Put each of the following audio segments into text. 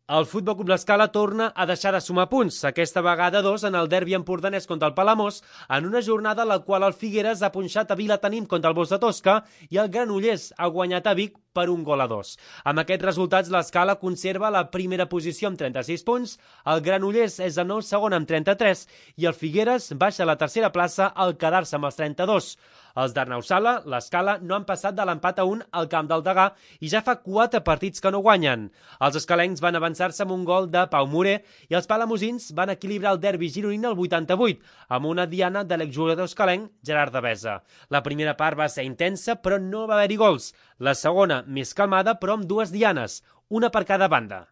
El Futbol Club L'Escala torna a deixar de sumar punts, aquesta vegada 2 en el derbi empordanès contra el Palamós, en una jornada en la qual el Figueres ha punxat a Vilatenim contra el Bosch de Tosca i el Granollers ha guanyat a Vic per 1-2. Amb aquests resultats, l'Escala conserva la primera posició amb 36 punts, el Granollers és el nou segon amb 33 i el Figueres baixa a la tercera plaça al quedar-se amb els 32. Els d'Arnau Sala, l'Escala, no han passat de l'empat a 1 al camp del Degà i ja fa 4 partits que no guanyen. Els escalencs van avançar-se amb un gol de Pau Morer i els palamosins van equilibrar el derbi gironí al 88 amb una diana de l'exjugador escalenc Gerard Devesa. La primera part va ser intensa però no va haver-hi gols. La segona més calmada però amb 2 dianes, una per cada banda.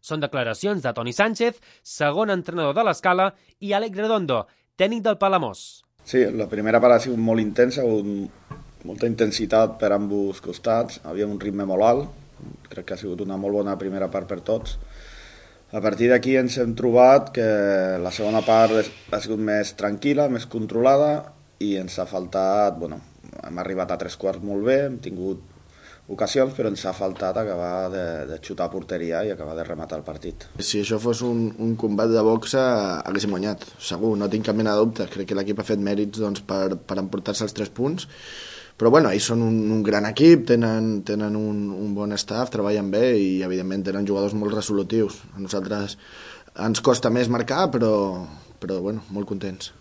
Són declaracions de Toni Sánchez, segon entrenador de l'Escala, i Àlex Redondo, tècnic del Palamós. Sí, la primera part ha sigut molt intensa, ha hagut molta intensitat per ambos costats, havia un ritme molt alt, crec que ha sigut una molt bona primera part per tots. A partir d'aquí ens hem trobat que la segona part ha sigut més tranquil·la, més controlada i ens ha faltat, hem arribat a 3/4 molt bé, hem tingut ocasions, però ens ha faltat acabar de xutar a porteria i acabar de rematar el partit. Si això fos un combat de boxa, haguéssim guanyat, segur, no tinc cap mena de dubte. Crec que l'equip ha fet mèrits per emportar-se els 3 punts, però ells són un gran equip, tenen un bon staff, treballen bé i evidentment tenen jugadors molt resolutius. A nosaltres ens costa més marcar, però molt contents.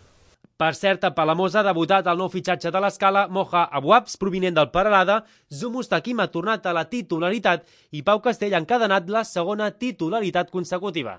Per cert, a Palamós ha debutat el nou fitxatge de l'Escala, Moja Abouabs, provinent del Peralada, Zou Mustaquim ha tornat a la titularitat i Pau Castell ha encadenat la segona titularitat consecutiva.